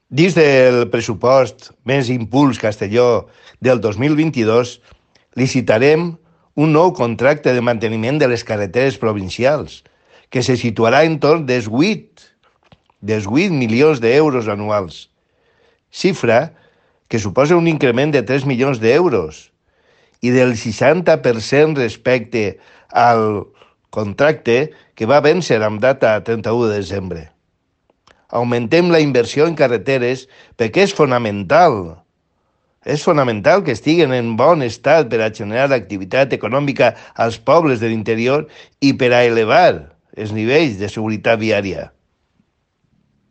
Dins del pressupost Més Impuls Castelló del 2022, licitarem un nou contracte de manteniment de les carreteres provincials, que se situarà entorn dels 8 milions d'euros anuals, xifra que suposa un increment de 3 milions d'euros i del 60% respecte al contracte que va vèncer amb data 31 de desembre. Augmentem la inversió en carreteres perquè és fonamental. És fonamental que estiguen en bon estat per a generar activitat econòmica als pobles de l'interior i per a elevar els nivells de seguretat viària.